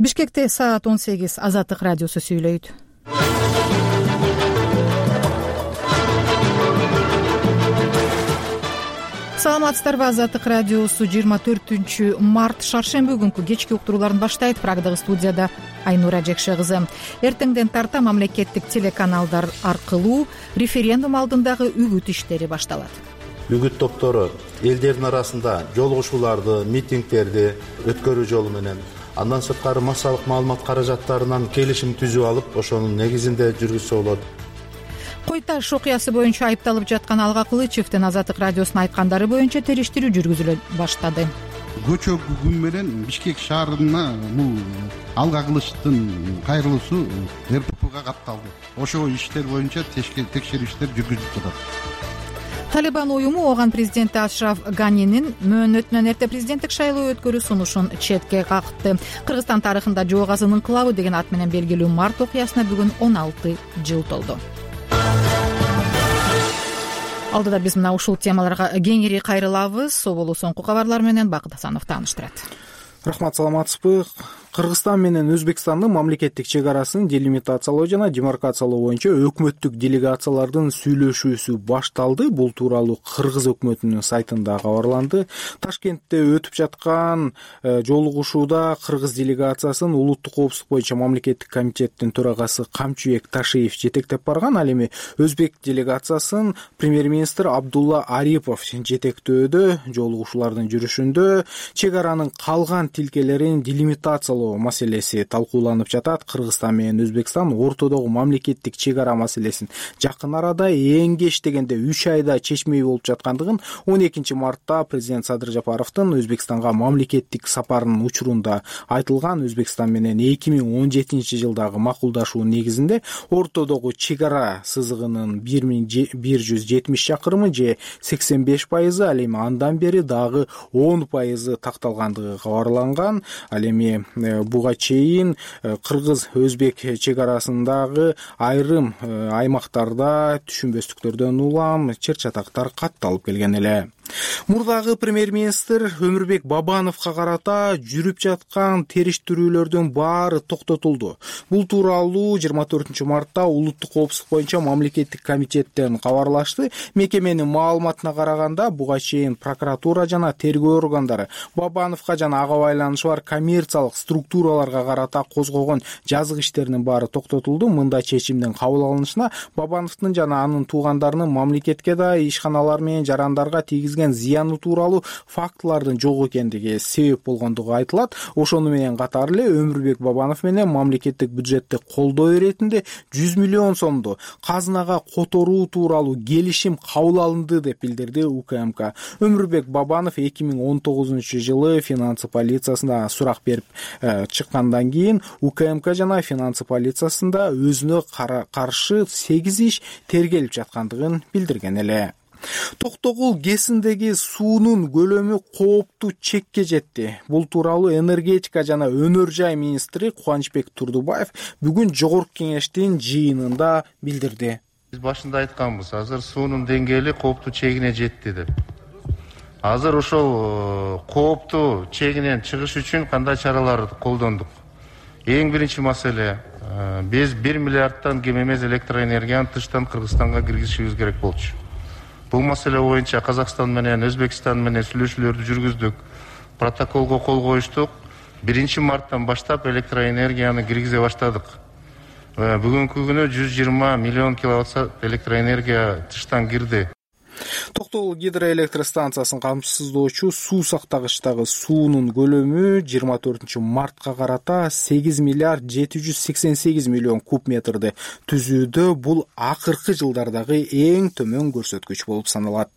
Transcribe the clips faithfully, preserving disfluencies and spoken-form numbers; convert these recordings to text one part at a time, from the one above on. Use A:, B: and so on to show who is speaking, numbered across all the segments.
A: Бишкекте саат он сегиз. Азаттык радиосу сүйлөйт. Саламатсыздарбы? Азаттык радиосу жыйырма төртүнчү март шаршемби күнкү кечки уктурууларын баштайт. Прагдагы студияда Айнура Жекше кызы. Эртеңден тарта мамлекеттик телеканалдар аркылуу референдум алдындагы үгүт иштери башталат.
B: Үгүт топтору элдердин арасында жолугушууларды, митингдерди өткөрүү жолу менен, андан сырткары массалык маалымат каражаттарынан келишим түзүп алып, ошонун негизинде жүргүзсө болот.
A: Кой Таш окуясы боюнча айыпталып жаткан Алга Кылычевдин Азаттык радиосуна айткандары боюнча териштирүү жүргүзүлө баштады.
C: Көчө күн менен Бишкек шаарына бул Алга Кылычтын кайрылуусу эр пэ пэга катталды. Ошол иштер боюнча текшерүү иштер жүргүзүлүп жатат.
A: Талибан уюму оган президенти Ашраф Ганинин мөөнөтүнөн эрте президенттик шайлоо өткөрүү сунушун четке какты. Кыргызстан тарыхында Жоо Казын инкылабы деген ат менен белгилүү март окуясына бүгүн он алты жыл толду. Алдыда биз мына ушул темаларга кеңири кайрылабыз. Соболу соңку кабарлар менен Бакыт Асанов тааныштырат.
D: Рахмат, саламатсызбы? Кыргызстан менен Өзбекстандын мамлекеттик чек арасын делимитациялоо жана демаркациялоо боюнча өкмөттүк делегациялардын сүйлөшүүсү башталды. Бул тууралуу Кыргыз өкмөтүнүн сайтында кабарланды. Ташкентте өтүп жаткан жолугушууда Кыргыз делегациясын улуттук коопсуздук боюнча мамлекеттик комитеттин төрагасы Камчыбек Ташиев жетектеп барган. Ал эми Өзбек делегациясын премьер-министр Абдулла Арипов жетектөөдө. Жолугушуулардын жүрүшүндө чек аранын калган тилкелерин делимитациялоо маселеси талкууланып жатат. Кыргызстан менен Өзбекстан ортодогу мамлекеттик чек ара маселесин жакын арада эң кеч дегенде үч айда чечмей болуп жаткандыгын он экинчи мартта президент Садыр Жапаровдун Өзбекстанга мамлекеттик сапарынын учурунда айтылган. Өзбекстан менен эки миң он жетинчи жылдагы макулдашуу негизинде ортодогу чек ара сызыгынын бир миң бир жүз жетимиш чакырымы же сексен беш пайызы, ал эми андан бери дагы он пайызы такталгандыгы кабарланган. Ал эми буга чейин кыргыз-өзбек чек арасындагы айрым аймактарда түшүнбөстүктөрдөн улам чыр-чатактар катталып келген эле. Мурдагы премьер-министр Өмүрбек Бабановго карата жүрүп жаткан териштирүүлөрдүн баары токтотулду. Бул тууралуу жыйырма төртүнчү мартта улуттук коопсуздук боюнча мамлекеттик комитеттен кабарлашты. Мекеменин маалыматына караганда, буга чейин прокуратура жана тергөө органдары Бабановго жана ага байланышы бар коммерциялык структураларга карата козгогон жазык иштеринин баары токтотулду. Мында чечимдин кабыл алынышына Бабановдун жана анын туугандарынын мамлекетке да ишканалар менен жарандарга тийгизген зыяны тууралуу фактылардын жок экендиги себеп болгондугу айтылат. Ошону менен катар эле Өмүрбек Бабанов менен мамлекеттик бюджетти колдоо иретинде жүз миллион сомду казынага которуу тууралуу келишим кабыл алынды деп билдирди У К М К. Өмүрбек Бабанов эки миң он тогузунчу жылы финансы полициясында сурак берип э, чыккандан кийин У К М К жана финансы полициясында өзүнө каршы сегиз иш тергелип жаткандыгын билдирген эле. Токтогул ГЭСиндеги суунун көлөмү кооптуу чекке жетти. Бул тууралуу энергетика жана өнөр жай министри Кубанычбек Турдубаев бүгүн жогорку кеңештин жыйынында билдирди.
E: Биз башында айтканбыз, азыр суунун деңгээли кооптуу чегине жетти деп. Азыр ошол кооптуу чегинен чыгыш үчүн кандай чараларды колдондук? Эң биринчи маселе, биз бир миллиардтан кем эмес электроэнергияны тыштан Кыргызстанга киргизишибиз керек болчу. Бул маселе боюнча Казакстан менен Өзбекстан менен сүйлөшүүлөрдү жүргүздүк. Протоколго кол коюштук. биринчи марттан баштап электроэнергияны киргизе баштадык. Бүгүнкү күнү жүз жыйырма миллион киловатт электроэнергия тыштан кирди.
D: Токтогул гидроэлектростанциясын камсыздоочу суу сактагычтагы суунун көлөмү жыйырма төртүнчү мартка карата сегиз миллиард жети жүз сексен сегиз миллион куб метрди түзүүдө. Бул акыркы жылдардагы эң төмөн көрсөткүч болуп саналат.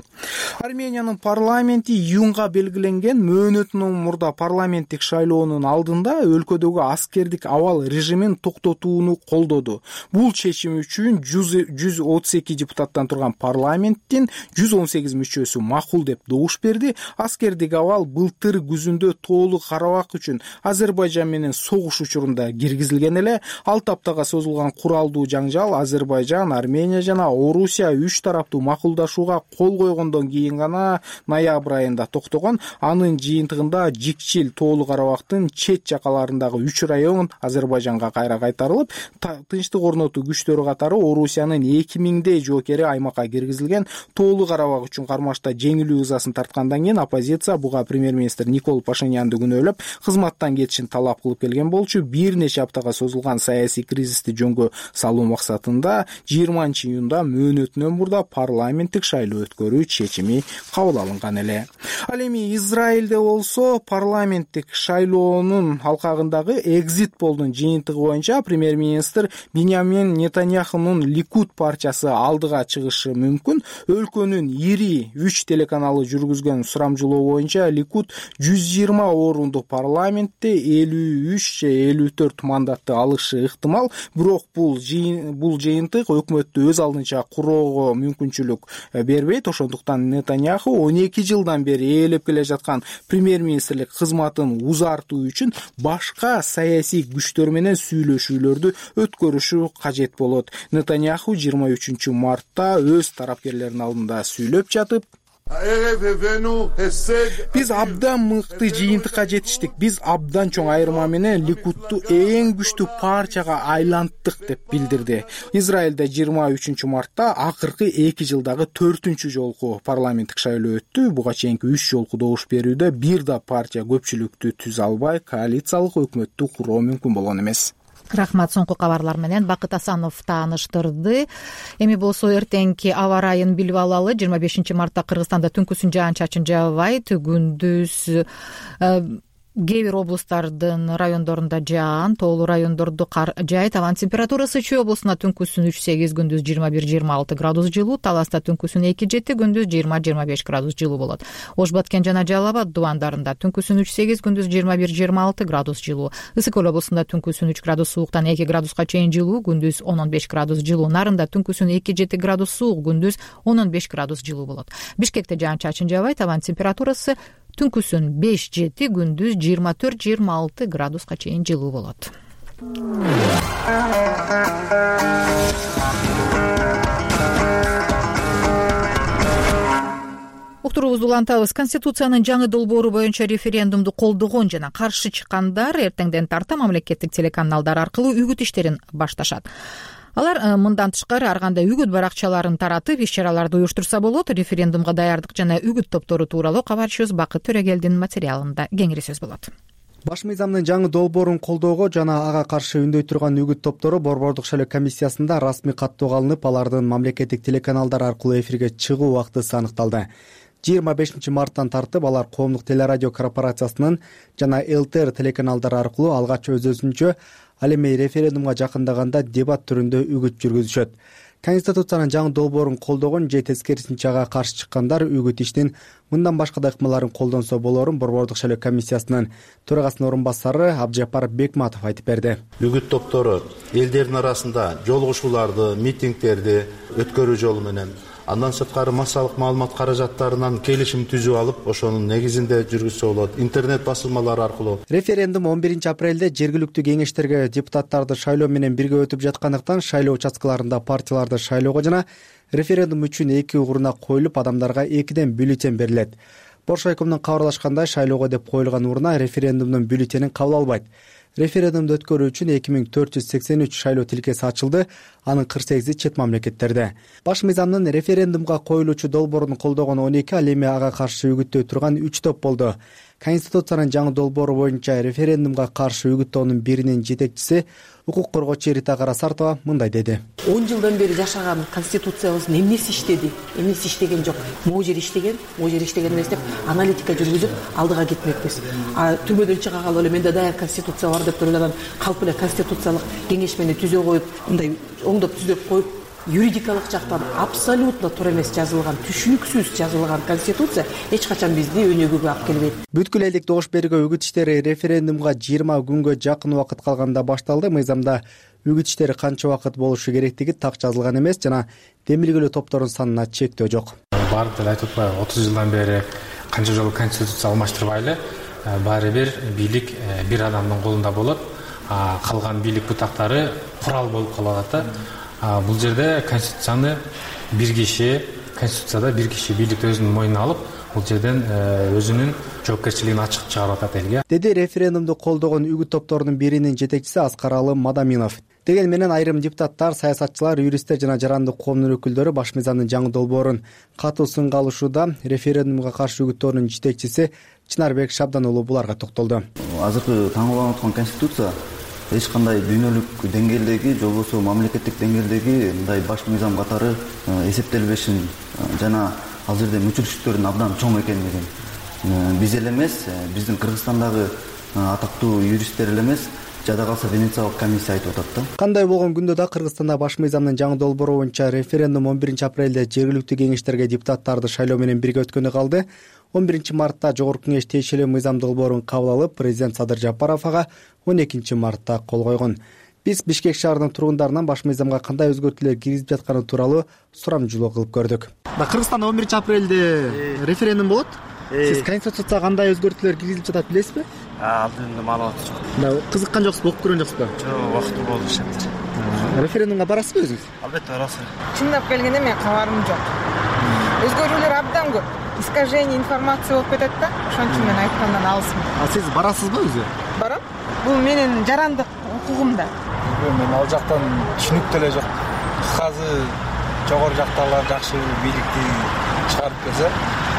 D: Армениянын парламенти июнга белгиленген мөөнөтүнөн мурда парламенттик шайлоонун алдында өлкөдөгү аскердик абал режимин токтотууну колдоду. Бул чечим үчүн жүз отуз эки депутаттан турган парламенттин жүз токсон сегиз мүчөсү макул деп добуш берди. Аскердик абал былтыр күзүндө тоолук Карабак үчүн Азербайжан менен согуш учурунда киргизилген эле. алты аптага созулган куралдуу жаңжал Азербайжан, Армения жана Орусия үч тараптуу макулдашууга кол койгондон кийин гана ноябрь айында токтогон. Анын жыйынтыгында Жикчил тоолук Карабактын чет жакаларындагы үч район Азербайжанга кайра кайтарылып, тынчтык орнотуу күчтөрү катары Орусиянын эки миңдей жоокери аймакка киргизилген. Тоолук Карабак үчүн кармашта жеңилүү ызасын тарткандан кийин оппозиция буга премьер-министр Никол Пашинянды күнөөлөп, кызматтан кетишин талап кылып келген болчу. Бир нече аптага созулган саясий кризисти жөнгө салуу максатында жыйырманчы июнда мөөнөтүнөн мурда парламенттик шайлоо өткөрүү чечими кабыл алынган эле. Ал эми Израилде болсо парламенттик шайлоонун алкагындагы экзит полдун жыйынтыгы боюнча премьер-министр Биньямин Нетаньяхунун Ликуд партиясы алдыга чыгышы мүмкүн. Өлкөнүн ири үч телеканалы жүргүзгөн сурамжылоо боюнча Ликуд жүз жыйырма орунду парламентте элүү үч же элүү төрт мандатты алышы ыктымал. Бирок бул бул жыйынтык өкмөттү өз алдынча куроого мүмкүнчүлүк бербейт. Ошондуктан Нетаньяху он эки жылдан бери ээлеп келе жаткан премьер-министрлик кызматын узартуу үчүн башка саясий күчтөр менен сүйлөшүүлөрдү өткөрүшү кажет болот. Нетаньяху жыйырма үчүнчү мартта өз тарапкерлеринин алдында сүйлөп жатып, биз абдан мыкты жыйынтыкка жетиштик. Биз абдан чоң айырма менен Ликудту эң күчтүү партияга айланттык деп билдирди. Израилде жыйырма үчүнчү мартта акыркы эки жылдагы төртүнчү жолку парламенттик шайлоо өттү. Буга чейинки үч жолку добуш берүүдө бир да партия көпчүлүктү түзө албай, коалициялык өкмөттү куруу мүмкүн болгон эмес.
A: Рахмат. Соңку кабарлар менен Бакыт Асанов тааныштырды. Эми болсо эртеңки аба ырайын билип алалы. жыйырма бешинчи мартта Кыргызстанда түнкүсүн жаан-чачын жаабайт. Күндүз кээ бир облустардын райондорунда жаан, тоолуу райондорду кар жаайт. Абанын температурасы Чүй облусунда түнкүсүн үч сегиз, күндүз жыйырма бир жыйырма алты градус жылуу, Таласта түнкүсүн эки жети, күндүз жыйырма жыйырма беш градус жылуу болот. Ош Баткен жана Жалал Абад дубандарында түнкүсүн үч сегиз, күндүз жыйырма бир жыйырма алты градус жылуу. Ысык Көл облусунда түнкүсүн үч градус сууктан эки градуска чейин жылуу, күндүз он беш градус жылуу. Нарында түнкүсүн эки жети градус суук, күндүз он беш градус жылуу болот. Бишкекте жаан-чачын жаабайт. Абанын температурасы түнкүсүн беш жети, күндүз жыйырма төрт жыйырма алты градуска чейин жылуу болот. Уктуруубузду улантабыз. Конституциянын жаңы долбоору боюнча референдумду колдогон жана каршы чыккандар эртеңден тарта мамлекеттик телеканалдар аркылуу үгүт иштерин башташат. Алар мындан тышкары ар кандай үгүт баракчаларын таратып, иш-чараларды уюштурса болот. Референдумга даярдык жана үгүт топтору тууралуу кабарчыбыз Бакыт Төрөгелдин материалында кеңири сөз болот.
F: Баш мыйзамдын жаңы долбоорун колдоого жана ага каршы үндөй турган үгүт топтору Борбордук шайлоо комиссиясында расмий каттоого алынып, алардын мамлекеттик телеканалдар аркылуу эфирге чыгуу убактысы аныкталды. жыйырма бешинчи марттан тартып алар Коомдук телерадио корпорациясынын жана ЛТР телеканалдары аркылуу алгач өз-өзүнчө, ал эми референдумга жакындаганда дебат түрүндө үгүт жүргүзүшөт. Конституциянын жаңы долбоорун колдогон же тескерисинче ага каршы чыккандар үгүт иштин мындан башка да ыкмаларын колдонсо болорун Борбордук шайлоо комиссиясынын төрагасынын орун басары Абжапар Бекматов айтып берди.
B: Үгүт топтору элдердин арасында жолугушууларды, митингдерди өткөрүү жолу менен, андан сырткары массалык маалымат каражаттарынан келишим түзүп алып, ошонун негизинде жүргүзсө болот. Интернет басылмалары аркылуу.
F: Референдум он биринчи апрелде жергиликтүү кеңештерге депутаттарды шайлоо менен бирге өтүп жаткандыктан шайлоо участкаларында партияларды шайлоого жана референдум үчүн эки урна коюлуп, адамдарга экиден бюллетень берилет. Боршайкомдун кабарлашкандай, шайлоого деп коюлган урна референдумдун бюллетенин кабыл албайт. Референдумду өткөрүү үчүн эки миң төрт жүз сексен үч шайлоо тилкеси ачылды, анын кырк сегизи чет мамлекеттерде. Баш мыйзамдын референдумга коюлуучу долбоорун колдогон он эки, ал эми ага каршы үгүттөй турган үч топ болду. Конституциянын жаңы долбоору боюнча референдумга каршы үгүттөөнүн биринин жетекчиси, укук коргоочу Рита Карасартова мындай деди.
G: он жылдан бери жашаган конституциябыз эмнеси иштеди, эмнеси иштеген жок. Могу жери иштеген, могу жери иштеген эмес деп аналитика жүргүзүп алдыга кетмекпиз. А түрмөдөн чыга калып эле менде даяр конституция бар деп туруп эле калп эле конституциялык кеңеш менен түзө коюп, мындай оңдоп түзөп коюп, юридикалык жактан абсолютно туура эмес жазылган, түшүнүксүз жазылган конституция эч качан бизди өнүгүүгө алып келбейт.
F: Бүткүл элдик добуш берүүгө үгүт иштери референдумга жыйырма күнгө жакын убакыт калганда башталды. Мыйзамда үгүт иштери канча убакыт болушу керектиги так жазылган эмес жана демилгелөө топторунун санына чектөө жок.
H: Баары деле айтып атпайбы, отуз жылдан бери канча жолу конституция алмаштырбай эле баары бир бийлик бир адамдын колунда болот, калган бийлик бутактары курал болуп калат да. Бул жерде конституцияны бир киши, конституцияда бир киши бийликти өзүнүн мойнуна алып, бул жерден өзүнүн жоопкерчилигин ачык чыгарып атат элге,
F: деди референдумду колдогон үгүт топторунун биринин жетекчиси Аскаралы Мадаминов. Деген менен айрым депутаттар, саясатчылар, юристтер жана жарандык коомдун өкүлдөрү баш мыйзамдын жаңы долбоорун катуу сынга алышууда. Референдумга каршы үгүт тобунун жетекчиси Чынарбек Шабдан уулу буларга токтолду.
I: Азыркы таңдалып аткан конституция эч кандай дүйнөлүк деңгээлдеги же болбосо мамлекеттик деңгээлдеги мындай баш мыйзам катары эсептелбешин жана ал жерде мүчүлүштүктөрдүн абдан чоң экенлигин биз эле эмес, биздин Кыргызстандагы атактуу юристтер эле эмес, жада калса Венециялык комиссия айтып атат да.
F: Кандай болгон күндө да Кыргызстанда баш мыйзамдын жаңы долбоору боюнча референдум он биринчи апрелде жергиликтүү кеңештерге депутаттарды шайлоо менен бирге өткөнү калды. он биринчи мартта Жогорку кеңеш тиешелүү мыйзам долбоорун кабыл алып, президент Садыр Жапаров ага он экинчи мартта кол койгон. Биз Бишкек шаарынын тургундарынан баш мыйзамга кандай өзгөртүүлөр киргизип жатканы тууралуу сурамжылоо кылып көрдүк. Кыргызстанда он биринчи апрелде референдум болот. Сиз конституцияга кандай өзгөртүүлөр киргизип жатат билесизби?
J: Алдында маалымат жок.
F: Кызыккан жоксузбу, окуп көргөн жоксузбу?
J: Жок, убакыты болду шат.
F: Референдумга барасызбы өзүңүз?
J: Албетте барасыз.
K: Чындап келгенде мен кабарым жок. Өзгөрүүлөр абдан көп. Искажение информация болуп кетет да. Ошон үчүн мен айткандан алысмын.
F: А сиз барасызбы өзү?
K: Барам. Бул менин жарандык укугум да.
L: Мен ал жактан түшүнүк деле жок. Азыр жогору жактагылар жакшы бийликти чыгарып келсе,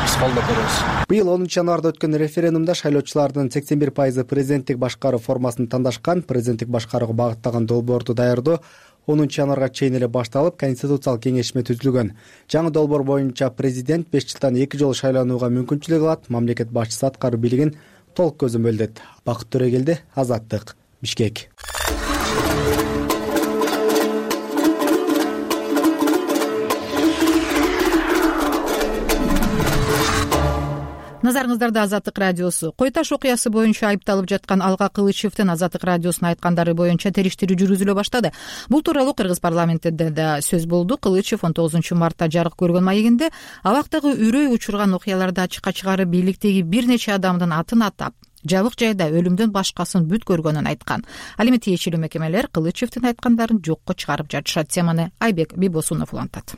L: биз колдоп беребиз.
F: Быйыл онунчу январда өткөн референдумда шайлоочулардын сексен бир пайызы президенттик башкаруу формасын тандашкан. Президенттик башкарууга багыттаган долбоорду даярдоо онунчу январга чейин эле башталып, конституциялык кеңешме түзүлгөн. Жаңы долбоор боюнча президент беш жылдан эки жолу шайланууга мүмкүнчүлүк алат. Мамлекет башчысы аткаруу бийлигин толук көзөмөлдөйт. Бакыт Төрөгелди, Азаттык, Бишкек.
A: Назарыңыздарда Азаттык радиосу. Кой Таш окуясы боюнча айыпталып жаткан Алга Кылычевдин Азаттык радиосуна айткандары боюнча териштирүү жүргүзүлө баштады. Бул тууралуу Кыргыз парламентинде да сөз болду. Кылычев он тогузунчу мартта жарык көргөн маегинде абактагы үрөй учурган окуяларды ачыкка чыгарып, бийликтеги бир нече адамдын атын атап, жабык жайда өлүмдөн башкасын бүт көргөнүн айткан. Ал эми тиешелүү мекемелер Кылычевдин айткандарын жокко чыгарып жатышат. Теманы Айбек Бибосунов улантат.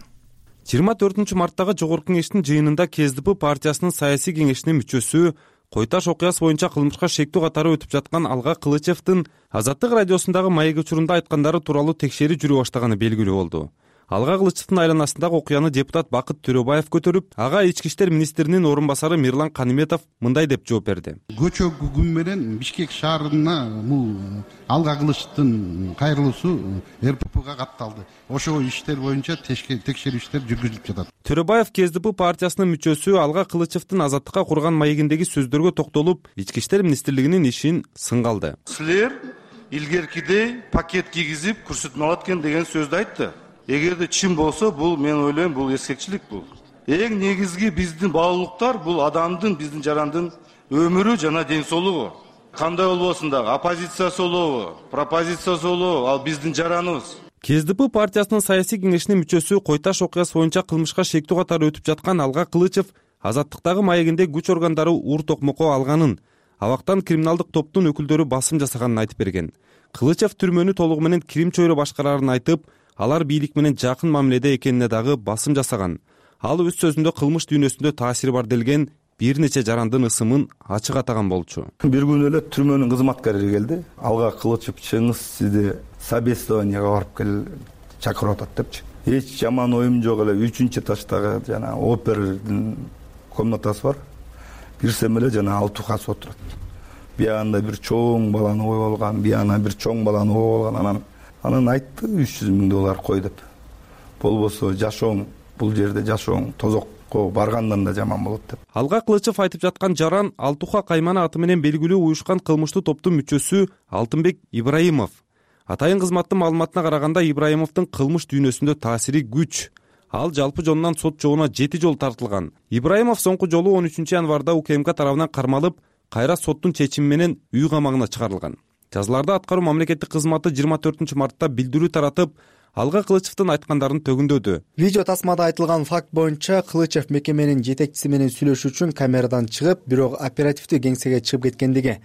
M: жыйырма төртүнчү марттагы Жогорку кеңештин жыйынында Ке Эс Ди Пи партиясынын саясий кеңешинин мүчөсү, Кой Таш окуясы боюнча кылмышка шектүү катары өтүп жаткан Алга Кылычевдин Азаттык радиосундагы маек учурунда айткандары тууралуу текшерүү жүрүп баштаганы белгилүү болду. Алга Кылычевдин айланасындагы окуяны депутат Бакыт Төрөбаев көтөрүп, ага ички иштер министринин орун басары Мирлан Каниметов мындай деп жооп берди.
C: Көчө күн менен Бишкек шаарына бул Алга Кылычевдин кайрылуусу Эр Пэ Пэга катталды. Ошол иштер боюнча текшерүү иштер жүргүзүлүп жатат.
M: Төрөбаев Ке Эс Ди Пи партиясынын мүчөсү Алга Кылычевдин Азаттыкка курган маегиндеги сөздөргө токтолуп, ички иштер министрлигинин ишин сынга алды.
E: Силер илгеркидей пакет кийгизип көрсөтмө алат экен деген сөздү айтты. Эгерде чын болсо, бул мен ойлойм, бул эскекчилик бул. Эң негизги биздин баалуулуктар бул адамдын, биздин жарандын өмүрү жана ден соолугу. Кандай болбосун дагы, оппозиция болобу, пропозиция болобу, ал биздин жараныбыз.
M: Ке Эс Ди Пи партиясынын саясий кеңешинин мүчөсү, Кой Таш окуясы боюнча кылмышка шектүү катары өтүп жаткан Алга Кылычев Азаттыктагы маегинде күч органдары ур токмокко алганын, абактан криминалдык топтун өкүлдөрү басым жасаганын айтып берген. Кылычев түрмөнү толугу менен Кирим чөйрө башкарарын айтып, алар бийлик менен жакын мамиледе экенине дагы басым жасаган. Ал өз сөзүндө кылмыш дүйнөсүндө таасири бар делген бир нече жарандын ысымын ачык атаган болчу.
I: Бир күнү эле түрмөнүн кызматкары келди. Алга Кылычев чыңыз сизди собеседованияга барып кел чакырып атат депчи. Эч жаман оюм жок эле үчүнчү этаждагы жана опердин комнатасы бар. Кирсем эле жана алтı кас отурат. Биягында бир чоң баланы коюп алган, биягына бир чоң баланы коюп алган, анан Анан айтты үч жүз миң доллар кой деп. Болбосо жашооң, бул жерде жашооң тозокко баргандан да жаман болот деп.
M: Алга Кылычев айтып жаткан жаран Алтуха Каймана аты менен белгилүү уюшкан кылмыштуу топтун мүчөсү Алтынбек Ибраимов. Атайын кызматтын маалыматына караганда Ибраимовдун кылмыш дүйнөсүндө таасири күч. Ал жалпы жонунан сот жоогуна жети жолу тартылган. Ибраимов соңку жолу он үчүнчү январда У К М К тарабынан кармалып, кайра соттун чечими менен үй камагына чыгарылган. жазаларда аткаруу мамлекеттик кызматы жыйырма төртүнчү мартта билдирүү таратып, Алга Кылычевдин айткандарын төгүндөдү.
F: Видео тасмада айтылган факт боюнча Кылычев мекеменин жетекчиси менен сүйлөшүү үчүн камерадан чыгып, бирок оперативдүү кеңсеге чыгып кеткендиги.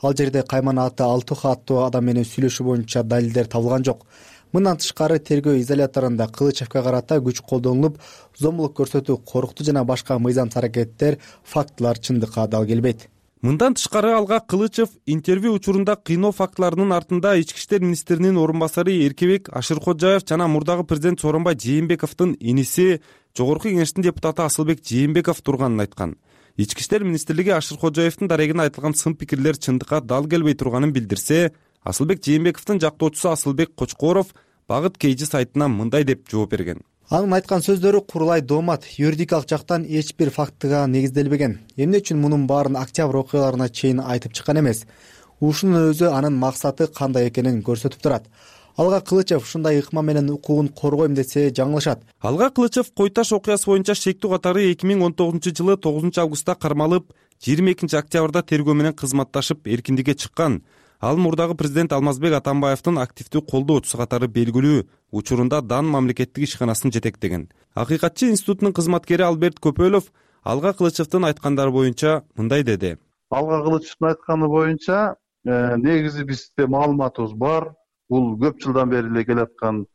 F: Ал жерде Кайман аты Алтуха аттуу адам менен сүйлөшүү боюнча далилдер табылган жок. Мындан тышкары тергөө изоляторунда Кылычевке карата күч колдонулуп, зомбулук көрсөтүү, коркутуу жана башка мыйзамсыз аракеттер, фактылар чындыкка дал келбейт.
M: Мындан тышкары Алга Кылычев интервью учурунда кыйноо фактыларынын артында ички иштер министринин орун басары Эркебек Ашыркожаев жана мурдагы президент Сооронбай Жээнбековдун иниси, Жогорку Кеңештин депутаты Асылбек Жээнбеков турганын айткан. Ички иштер министрлиги Ашыркожаевдин дарегине айтылган сын пикирлер чындыкка дал келбей турганын билдирсе, Асылбек Жээнбековдун жактоочусу Асылбек Кочкоров Багыт Кейжи сайтына мындай деп жооп берген.
F: Анын айткан сөздөрү курулай доомат, юридикалык жактан эч бир фактыга негизделбеген. Эмне үчүн мунун баарын октябрь окуяларына чейин айтып чыккан эмес? Ушунун өзү анын максаты кандай экенин көрсөтүп турат. Алга Кылычев ушундай ыкма менен укугун коргойм десе жаңылышат.
M: Алга Кылычев Кой Таш окуясы боюнча шектүү катары эки миң он тогузунчу жылы тогузунчу августта кармалып, жыйырма экинчи октябрда тергөө менен кызматташып эркиндикке чыккан. Ал мурдагы президент Алмазбек Атамбаевдин активдүү колдоочусу катары белгилүү, учурунда Дан мамлекеттик ишканасын жетектеген. Акыйкатчы институтунун кызматкери Алберт Көпөлов Алга Кылычевдин айткандары боюнча мындай деди.
N: Алга Кылычевдин айтканы боюнча, негизи бизде маалыматыбыз бар. Бул көп жылдан бери эле келаткан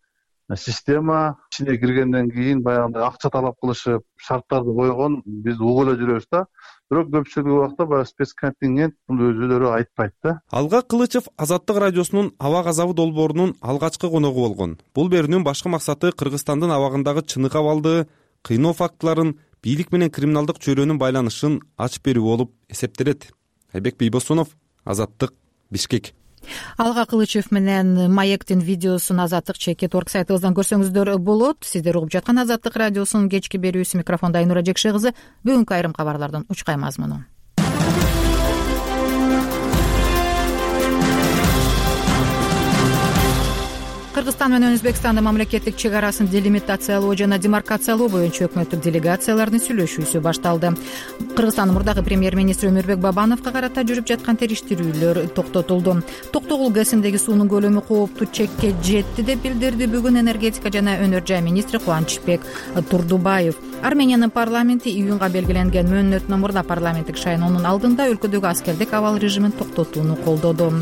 N: система. Ичине киргенден кийин баягындай акча талап кылышып, шарттарды койгон, биз угуп эле жүрөбүз да. Бирок көпчүлүк убакта баягы спецконтингент бул өзүлөрү айтпайт да.
M: Алга Кылычев Азаттык радиосунун Аба газабы долбоорунун алгачкы коногу болгон. Бул берүүнүн башкы максаты Кыргызстандын абагындагы чынык абалды, кыйноо фактыларын, бийлик менен криминалдык чөйрөнүн байланышын ачып берүү болуп эсептелет. Айбек Бийбосунов, Азаттык, Бишкек.
A: Алга Кылычев менен Маектин видеосун Азаттык чекит орг сайтыбыздан көрсөңүздөр болот. Сиздер угуп жаткан Азаттык радиосунун кечки берүүсү, микрофонда Айнура Жекше кызы. Бүгүнкү айрым кабарлардын учкай мазмуну. Кыргызстан менен Өзбекстандын мамлекеттик чек арасын делимитациялоо жана демаркациялоо боюнча өкмөттүк делегациялардын сүйлөшүүсү башталды. Кыргызстандын мурдагы премьер-министри Өмүрбек Бабановго карата жүрүп жаткан териштирүүлөр токтотулду. Токтогул ГЭСиндеги суунун көлөмү кооптуу чекке жетти деп билдирди бүгүн энергетика жана өнөр жай министри Кубанычбек Турдубаев. Армениянын парламенти июнга белгиленген мөөнөтүнөн мурда парламенттик шайлоонун алдында өлкөдөгү аскердик абал режимин токтотууну колдоду.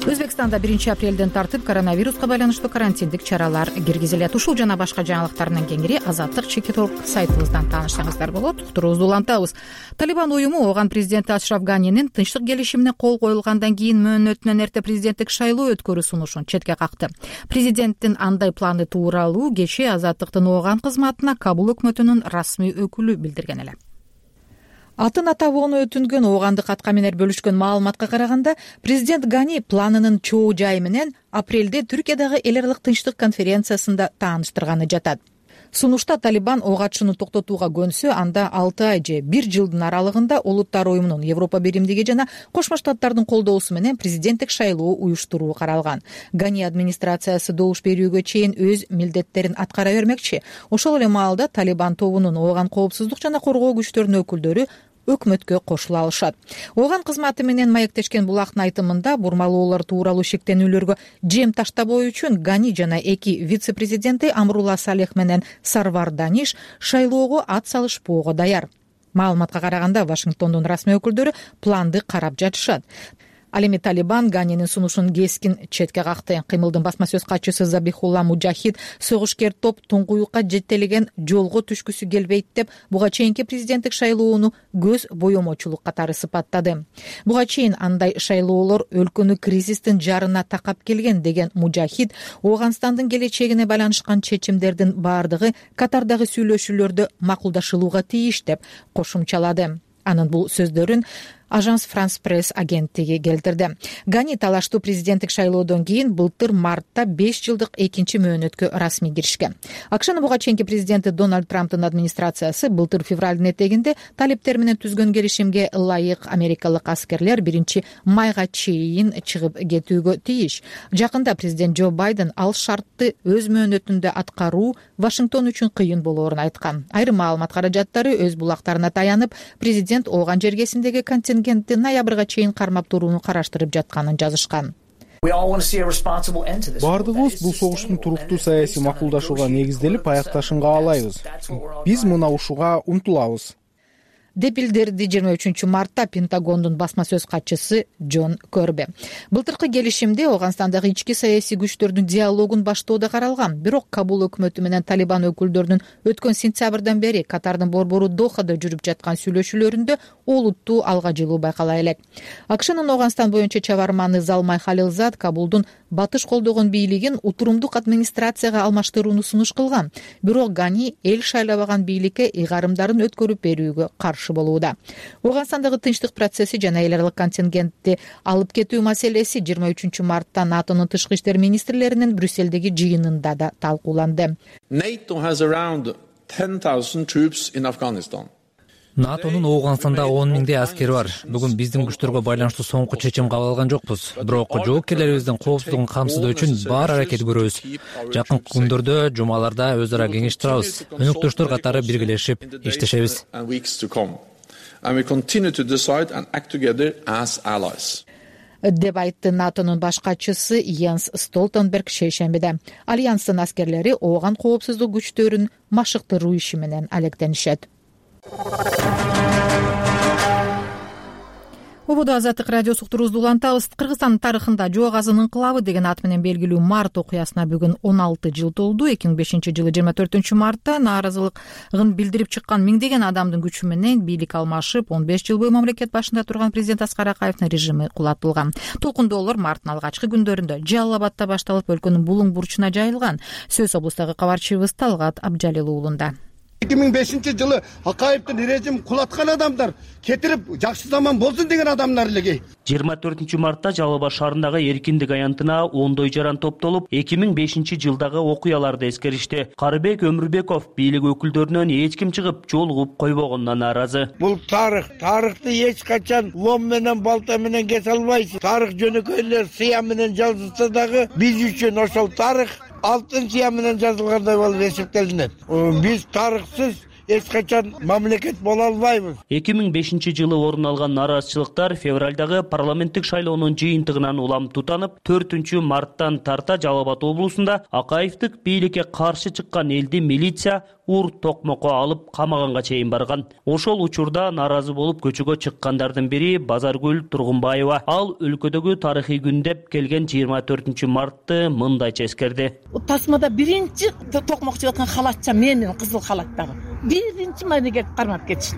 A: Өзбекстанда биринчи апрелден тартып коронавируска байланыштуу карантиндик чаралар киргизилет. Ушул жана башка жаңылыктар менен кеңири Азаттык чекит орг сайтыбыздан таанышсаңыздар болот. Уктуруубузду улантабыз. Талибан уюму оган президенти Ашраф Ганинин тынчтык келишимине кол коюлгандан кийин мөөнөтүнөн эрте президенттик шайлоо өткөрүү сунушун четке какты. Президенттин андай планы тууралуу кечээ Азаттыктын оган кызматына Кабул өкмөтүнүн расмий өкүлү билдирген эле. Атын атабоону өтүнгөн огандык аткаминер бөлүшкөн маалыматка караганда, президент Гани планынын чоо жайы менен апрелде Түркиядагы эл аралык тынчтык конференциясында тааныштырганы жатат. Сунушта Талибан ок атышууну токтотууга көнсө, анда алты ай же бир жылдын аралыгында Улуттар уюмунун, Европа биримдиги жана Кошмо Штаттардын колдоосу менен президенттик шайлоо уюштуруу каралган. Гани администрациясы добуш берүүгө чейин өз милдеттерин аткара бермекчи. Ошол эле маалда Талибан тобунун оган коопсуздук жана коргоо күчтөрүнүн өкүлдөрү өкмөткө кошула алышат. Оган кызматы менен маектешкен булактын айтымында бурмалоолор тууралуу шектенүүлөргө жем таштабоо үчүн Гани жана эки вице-президенти Амрула Салех менен Сарвар Даниш шайлоого ат салышпоого даяр. Маалыматка караганда Вашингтондун расмий өкүлдөрү планды карап жатышат. Ал эми Талибан Ганинин сунушун кескин четке какты. Кыймылдын басма сөз катчысы Забихулла Мужахид согушкер топ туңгуюкка жетелеген жолго түшкүсү келбейт деп буга чейинки президенттик шайлоону көз боемочулук катары сыпаттады. Буга чейин андай шайлоолор өлкөнү кризистин жарына такап келген деген Мужахид Ооганстандын келечегине байланышкан чечимдердин баардыгы катардагы сүйлөшүүлөрдө макулдашылууга тийиш деп кошумчалады. Анын бул сөздөрүн Ажанс Франс Пресс агенттиги келтирди. Гани талаштуу президенттик шайлоодон кийин былтыр мартта беш жылдык экинчи мөөнөткө расмий киришкен. АКШнын буга чейинки президенти Дональд Трамптын администрациясы былтыр февралдын этегинде талиптер менен түзгөн келишимге ылайык америкалык аскерлер биринчи майга чейин чыгып кетүүгө тийиш. Жакында президент Джо Байден ал шартты өз мөөнөтүндө аткаруу Вашингтон үчүн кыйын болоорун айткан. Айрым маалымат каражаттары өз булактарына таянып, президент Ооган жергесиндеги контингент контингентти ноябрга чейин кармап турууну караштырып жатканын жазышкан.
D: Бардыгыбыз бул согуштун туруктуу саясий макулдашууга негизделип аякташын каалайбыз. Биз мына ушуга умтулабыз,
A: деп билдирди жыйырма үчүнчү мартта Пентагондун басма сөз катчысы Джон Көрбе. Былтыркы келишимде Ооганстандагы ички саясий күчтөрдүн диалогун баштоо да каралган. Бирок Кабул өкмөтү менен Талибан өкүлдөрүнүн өткөн сентябрдан бери Катардын борбору Дохада жүрүп жаткан сүйлөшүүлөрүндө олуттуу алга жылуу байкала элек. АКШнын Ооганстан боюнча чабарманы Залмай Халилзад Кабулдун батыш колдогон бийлигин утурумдук администрацияга алмаштырууну сунуш кылган. Бирок Гани эл шайлабаган бийликке ыйгарымдарын өткөрүп берүүгө каршы болууда. Ооганстандагы тынчтык процесси жана эл аралык контингентти алып кетүү маселеси жыйырма үчүнчү мартта НАТОнун тышкы иштер министрлеринин Брюссельдеги жыйынында да талкууланды.
O: NATO has around ten thousand troops in Afghanistan.
P: НАТОнун Ооганстанда он миңдей аскери бар. Бүгүн биздин күчтөргө байланыштуу соңку чечим кабыл алган жокпуз. Бирок жоопкерлерибиздин коопсуздугун камсыздоо үчүн бар аракет көрөбүз. Жакынкы күндөрдө, жумаларда өз ара кеңештирабыз. Өнөктөштөр катары биргелешип иштешебиз.
A: деп айтты НАТОнун баш катчысы Йенс Столтенберг шейшембиде. Альянстын аскерлери ооган коопсуздук күчтөрүн машыктыруу иши менен алектенишет. Ободо Азаттык радиосу уктуруубузду улантабыз. Кыргызстандын тарыхында Жоо Казын ыңкылабы деген ат менен белгилүү март окуясына бүгүн он алты жыл толду. эки миң бешинчи жылы жыйырма төртүнчү мартта нааразылыгын билдирип чыккан миңдеген адамдын күчү менен бийлик алмашып, он беш жыл бою мамлекет башында турган президент Аскар Акаевдин режими кулатылган. Толкундоолор марттын алгачкы күндөрүндө Жалал Абадта башталып, өлкөнүн булуң бурчуна жайылган. Сөз облустагы кабарчыбыз Талгат Абжалил уулунда.
Q: эки миң бешинчи жылы Акаевдин режим кулаткан адамдар кетирип жакшы заман болсун деген адамдар эле.
R: жыйырма төртүнчү мартта Жалал Абад шаарындагы Эркиндик аянтына ондой жаран топтолуп, эки миң бешинчи жылдагы окуяларды эскеришти. Карыбек Өмүрбеков бийлик өкүлдөрүнөн эч ким чыгып жолугуп койбогонуна нааразы.
Q: Бул тарых, тарыхты эч качан лом менен балта менен кесе албайсыз. Тарых жөнөкөйлөр сыя менен жазылса дагы биз үчүн ошол тарых алтын сыя менен жазылгандай болуп эсептелинет. Биз тарыхсыз эч качан мамлекет боло албайбыз.
R: эки миң бешинчи жылы орун алган нааразычылыктар февралдагы парламенттик шайлоонун жыйынтыгынан улам тутанып, төртүнчү марттан тарта Жалал Абад облусунда Акаевдик бийликке каршы чыккан элди милиция ур токмокко алып камаганга чейин барган. Ошол учурда нааразы болуп көчөгө чыккандардын бири Базаргүл Тургунбаева. Ал өлкөдөгү тарыхый күн деп келген жыйырма төртүнчү мартты мындайча эскерди.
G: Тасмада биринчи токмокчу аткан халатча менин, кызыл халаттагы. Биринчи майнеге кармап кетишти.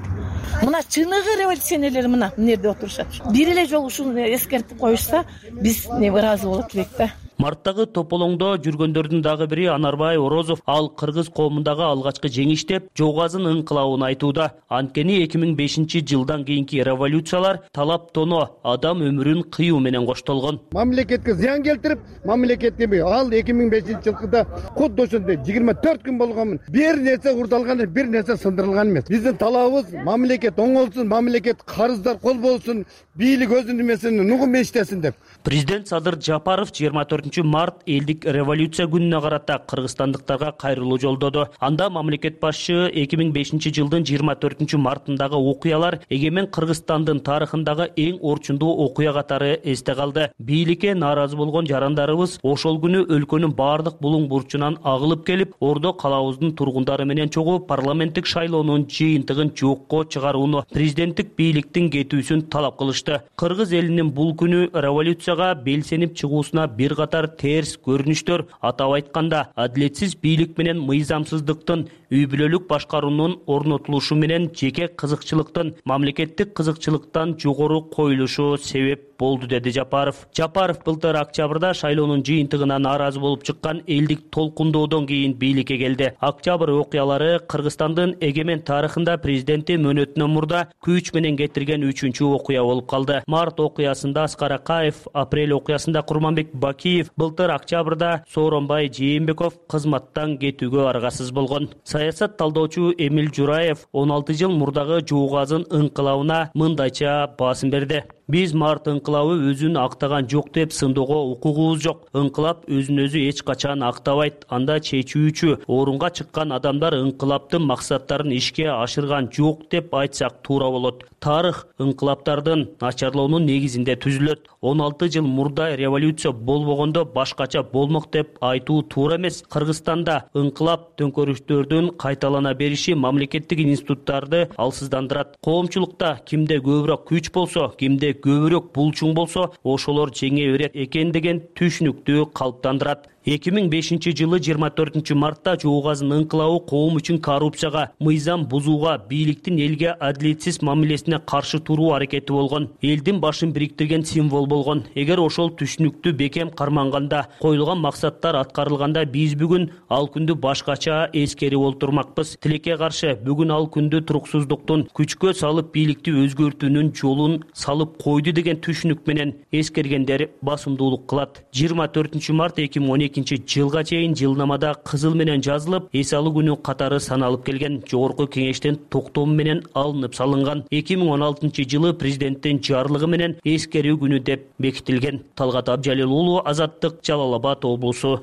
G: Мына чыныгы революционерлер мына эмнеде отурушат. Бир эле жолу ушуну эскертип коюшса, биз не ыраазы болот элек да.
R: Марттагы тополоңдо жүргөндөрдүн дагы бири Анарбай Орозов. Ал кыргыз коомундагы алгачкы жеңиш деп Жоо Казын ыңкылабын айтууда. Анткени эки миң бешинчи жылдан кийинки революциялар талап тоно, адам өмүрүн кыюу менен коштолгон.
Q: Мамлекетке зыян келтирип, мамлекет эми ал эки миң бешинчи жылкыда кудду ошондой жыйырма төрт күн болгонмун. Бир нерсе урдалган, бир нерсе сындырылган эмес. Биздин талабыбыз мамлекет оңолсун, мамлекет карыздар кол болсун, бийлик өзүнүн эмесин нугум иштесин деп.
R: Президент Садыр Жапаров жыйырма төртүнчү март элдик революция күнүнө карата кыргызстандыктарга кайрылуу жолдоду. Анда мамлекет башчы эки миң бешинчи жылдын жыйырма төртүнчү мартындагы окуялар эгемен Кыргызстандын тарыхындагы эң орчундуу окуя катары эсте калды. Бийликке нааразы болгон жарандарыбыз ошол күнү өлкөнүн бардык булуң бурчунан агылып келип, Ордо калабыбыздын тургундары менен чогуу парламенттик шайлоонун жыйынтыгын жокко чыгарууну, президенттик бийликтин кетүүсүн талап кылышты. Кыргыз элинин бул күнү революцияга белсенип чыгуусуна бир катар терс көрүнүштөр, атап айтканда, адилетсиз бийлик менен мыйзамсыздыктын, үй бүлөлүк башкаруунун орнотулушу менен жеке кызыкчылыктын мамлекеттик кызыкчылыктан жогору коюлушу себеп болду, деди Жапаров. Жапаров былтыр октябрда шайлоонун жыйынтыгына нааразы болуп чыккан элдик толкундоодон кийин бийликке келди. Октябрь окуялары Кыргызстандын эгемен тарыхында президенти мөөнөтүнөн мурда күч менен кетирген үчүнчү окуя болуп калды. Март окуясында Аскар Акаев, апрель окуясында Курманбек Бакиев, былтыр октябрда Сооронбай Жээнбеков кызматтан кетүүгө аргасыз болгон. Саясат талдоочу Эмил Жураев он алты жыл мурдагы Жоо Казын ыңкылабына мындайча басым берди. Биз март ыңкылабы өзүн актаган жок деп сындоого укугубуз жок. Ыңкылап өзүн өзү эч качан актабайт. Анда чечүүчү орунга чыккан адамдар ыңкылаптын максаттарын ишке ашырган жок деп айтсак туура болот. Тарых ыңкылаптардын начарлоонун негизинде түзүлөт. он алты жыл мурда революция болбогондо башкача болмок деп айтуу туура эмес. Кыргызстанда ыңкылап төңкөрүштөрдүн кайталана бериши мамлекеттик институттарды алсыздандырат. Коомчулукта кимде көбүрөөк күч болсо, кимде көбүрөөк булчуң болсо, ошолор жеңе берет экен деген түшүнүктү калыптандырат. эки миң бешинчи жылы жыйырма төртүнчү мартта Жуугазын ыңкылабы коом үчүн коррупцияга, мыйзам бузууга, бийликтин элге адилетсиз мамилесине каршы туруу аракети болгон. Элдин башын бириктирген символ болгон. Эгер ошол түшүнүктү бекем карманганда, коюлган максаттар аткарылганда биз бүгүн ал күндү башкача эскерип олтурмакпыз. Тилекке каршы бүгүн ал күндү туруксуздуктун, күчкө салып бийликти өзгөртүүнүн жолун салып койду деген түшүнүк менен эскергендер басымдуулук кылат. жыйырма төртүнчү март эки миң он экинчи жылга чейин жылнамада кызыл менен жазылып, эс алуу күнү катары саналып келген. Жогорку кеңештин токтому менен алынып салынган. эки миң он алтынчы жылы президенттин жарлыгы менен эскерүү күнү деп бекитилген. Талгат Абжалил уулу, Азаттык, Жалал Абад облусу.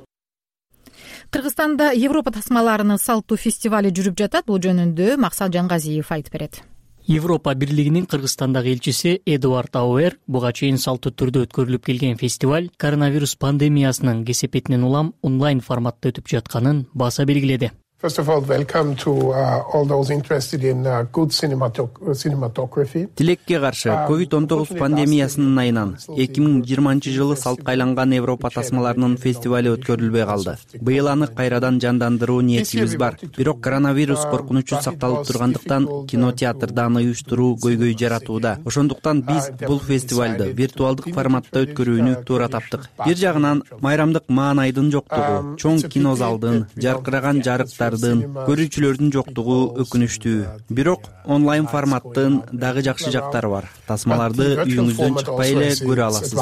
A: Кыргызстанда Европа тасмаларынын салттуу фестивали жүрүп жатат. Бул жөнүндө Максат Жангазиев айтып берет.
S: Европа бирлигинин Кыргызстандагы элчиси Эдуард Ауэр буга чейин салттуу түрдө өткөрүлүп келген фестиваль коронавирус пандемиясынын кесепетинен улам онлайн форматта өтүп жатканын баса белгиледи.
T: First of all, welcome to uh, all those interested in uh, good cinematography.
U: Тилекке каршы ковид он тогуз пандемиясынын айынан эки миң жыйырманчы жылы салтка айланган Европа тасмаларынын фестивали өткөрүлбөй калды. Быйыл аны кайрадан жандандыруу ниетибиз бар. Бирок коронавирус коркунучу сакталып тургандыктан кинотеатрдан уюштуруу көйгөй жаратууда. Ошондуктан биз бул фестивалды виртуалдык форматта өткөрүүнү туура таптык. Бир жагынан майрамдык маанайдын жоктугу, чоң кинозалдын, жаркыраган жарыктар, көрүүчүлөрдүн жоктугу өкүнүчтүү. Бирок онлайн форматтын дагы жакшы жактары бар. Тасмаларды үйүңүздөн чыкпай эле көрө аласыз.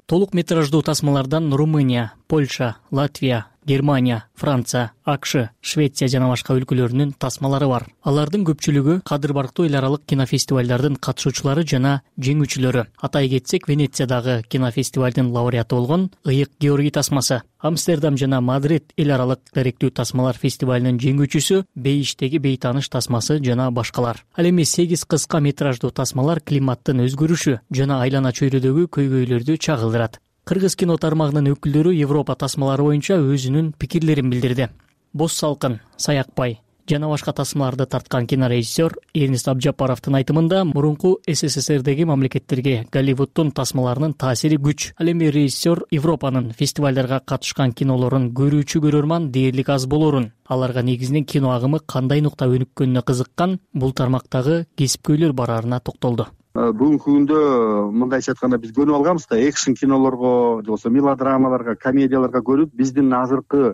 S: Толук метраждуу тасмалардан Румыния, Польша, Латвия, Германия, Франция, АКШ, Швеция жана башка өлкөлөрүнүн тасмалары бар. Алардын көпчүлүгү кадыр барктуу эл аралык кинофестивалдардын катышуучулары жана жеңүүчүлөрү. Атай кетсек, Венециядагы кинофестивалдын лауреаты болгон Ыйык Георгий тасмасы, Амстердам жана Мадрид эл аралык даректүү тасмалар фестивалынын жеңүүчүсү Бейиштеги бейтааныш тасмасы жана башкалар. Ал эми сегиз кыска метраждуу тасмалар климаттын өзгөрүшү жана айлана чөйрөдөгү көйгөйлөрдү чагылдырат. Кыргыз кино тармагынын өкүлдөрү Европа тасмалары боюнча өзүнүн пикирлерин билдирди. Боз салкын, Саякбай жана башка тасмаларды тарткан кинорежиссер Эрнест Абжапаровдун айтымында мурунку СССРдеги мамлекеттерге Голливуддун тасмаларынын таасири күч. Ал эми режиссер Европанын фестивалдарга катышкан кинолорун көрүүчү көрөрман дээрлик аз болорун, аларга негизинен кино агымы кандай нукта өнүккөнүнө кызыккан бул тармактагы кесипкөйлөр барарына токтолду.
V: Бүгүнкү күндө мындайча айтканда биз көнүп алганбыз да, экшн кинолорго, же болбосо мелодрамаларга, комедияларга көрүп, биздин азыркы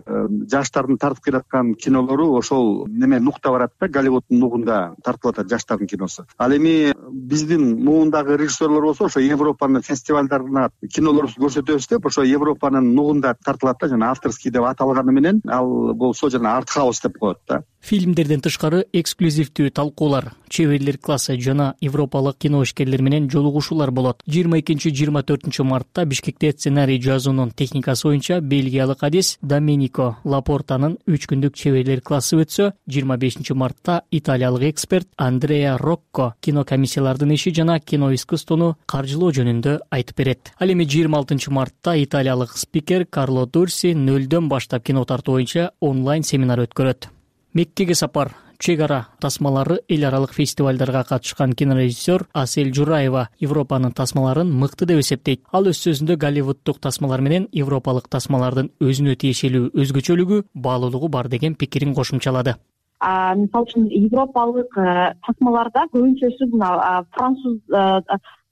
V: жаштардын тартып келаткан кинолору ошол неме нукта барат да, Голливуддун нугунда тартылып атат жаштардын киносу. Ал эми биздин муундагы режиссерлор болсо ошо Европанын фестивалдарына кинолорубузду көрсөтөбүз деп, ошо Европанын нугунда тартылат да, жана авторский деп аталганы менен ал болсо жана артхаус деп коет да.
S: Фильмдерден тышкары эксклюзивдүү талкуулар, чеберлер классы жана европалык кино ишкерлер менен жолугушуулар болот. жыйырма экинчи жыйырма төртүнчү мартта Бишкекте сценарий жазуунун техникасы боюнча бельгиялык адис Доменико Лапортанын үч күндүк чеберлер классы өтсө, жыйырма бешинчи мартта италиялык эксперт Андреа Рокко кино комиссиялардын иши жана кино искусствону каржылоо жөнүндө айтып берет. Ал эми жыйырма алтынчы мартта италиялык спикер Карло Дурси нөлдөн баштап кино тартуу боюнча онлайн семинар өткөрөт. Меккеге сапар, чек ара тасмалары эл аралык фестивалдарга катышкан кинорежиссер Асель Жураева Европанын тасмаларын мыкты деп эсептейт. Ал өз сөзүндө Голливуддук тасмалар менен европалык тасмалардын өзүнө тиешелүү өзгөчөлүгү, баалуулугу бар деген пикирин кошумчалады.
W: Мисалы үчүн европалык тасмаларда көбүнчөсү мына француз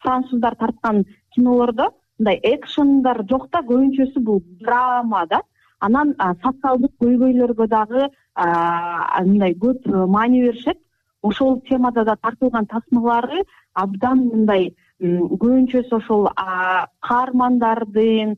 W: француздар тарткан кинолордо мындай экшндар жок да, көбүнчөсү бул драма да. Анан социалдык көйгөйлөргө дагы мындай көп маани беришет. Ошол темада да тартылган тасмалары абдан мындай көбүнчөсү ошол каармандардын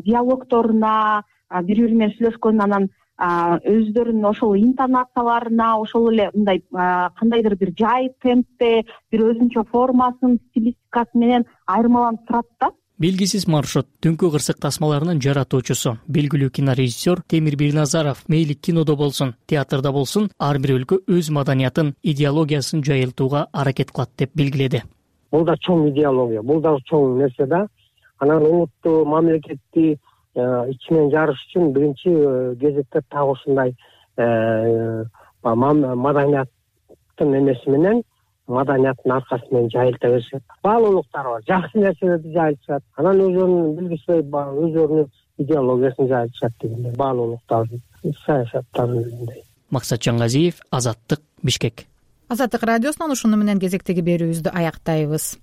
W: диалогторуна, бири бири менен сүйлөшкөн, анан өздөрүнүн ошол интонацияларына, ошол эле мындай кандайдыр бир жай темпте, бир өзүнчө формасын, стилистикасы менен айырмаланып турат да.
S: Белгисиз маршрут түнкү кырсык тасмаларынын жаратуучусу, белгилүү кинорежиссер Темир Бирназаров мейли кинодо болсун, театрда болсун, ар бир өлкө өз маданиятын, идеологиясын жайылтууга аракет кылат деп белгиледи.
B: Бул да чоң идеология, бул да чоң нерсе да. Анан улутту, мамлекетти ичинен жарыш үчүн биринчи кезекте так ушундай маданияттын эмеси менен, маданияттын аркасы менен жайылта беришет. Баалуулуктар бар, жакшы нерселерди жайылтышат. Анан өзүнүн билгисиз өзүнүн идеологиясын жайылтышат дегендей. Баалуулуктардын, саясаттардын.
S: Максат Жаңгазиев, Азаттык, Бишкек.
A: Азаттык радиосунан ушуну менен кезектеги берүүбүздү аяктайбыз.